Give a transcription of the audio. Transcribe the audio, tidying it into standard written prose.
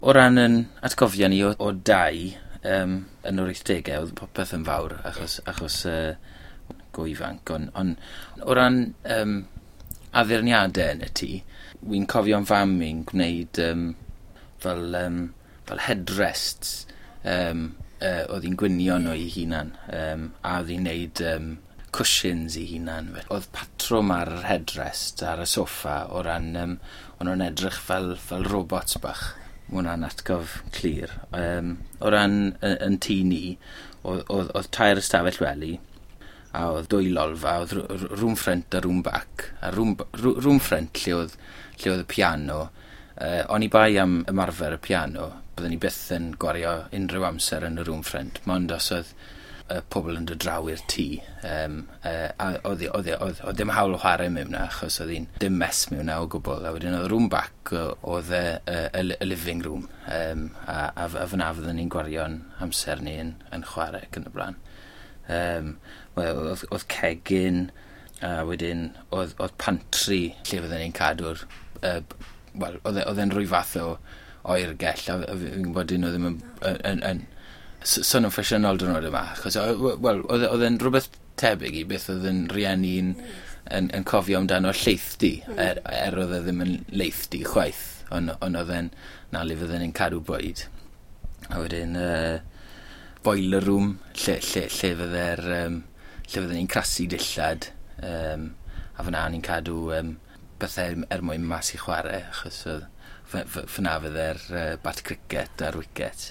O ran yn atgofion ni o dai yn yr 80au, oedd popeth yn fawr achos go ifanc, ond o ran addurniadau yn y tŷ, wi'n cofio'n fam i'n gwneud fel headrests, oedd hi'n gwnïo nhw ei hunan, a oedd hi'n gwneud cushions i hunan. Oedd patrwm ar yr headrest ar y soffa o ran, o'n nhw'n edrych fel robots bach. Mae hwnna'n atgof clir. O ran yn tŷ ni, oedd tair ystafell wely, a oedd dwy lolfa, oedd room front a room back. A room front lle oedd y piano. Oni bai am ymarfer y piano, byddwn ni byth yn gwario unrhyw amser yn y room front, mond os oedd pobl yn dod draw i'r tŷ. A oedd dim hawl o chwarae mewn 'na, achos oedd hi'n dim mess mewn 'na o gwbl. A wedyn oedd room back oedd y living room. A fyna fyddwn ni'n gwario'n amser ni yn chwarae ac yn y blaen. Wel, oedd cegin, a wedyn oedd pantry lle fydden ni'n cadw'r... Wel, oedd e'n rhyw fath o oergell, a fi'n gwybod dyn nhw ddim yn swnio'n ffasiynol diwrnod yma, achos, wel, oedd e'n rhywbeth tebyg i beth oedd yn rieni'n yn cofio amdano llaethdy, er oedd e ddim yn laethdy chwaith, ond oedd e'n na le fydden ni'n cadw bwyd. A wedyn, boiler room, lle fydden ni'n crasu dillad, a fyna ni'n cadw bethau er mwyn mas i chwarae, achos oedd fyna fydde'r bat cricket a'r wicket.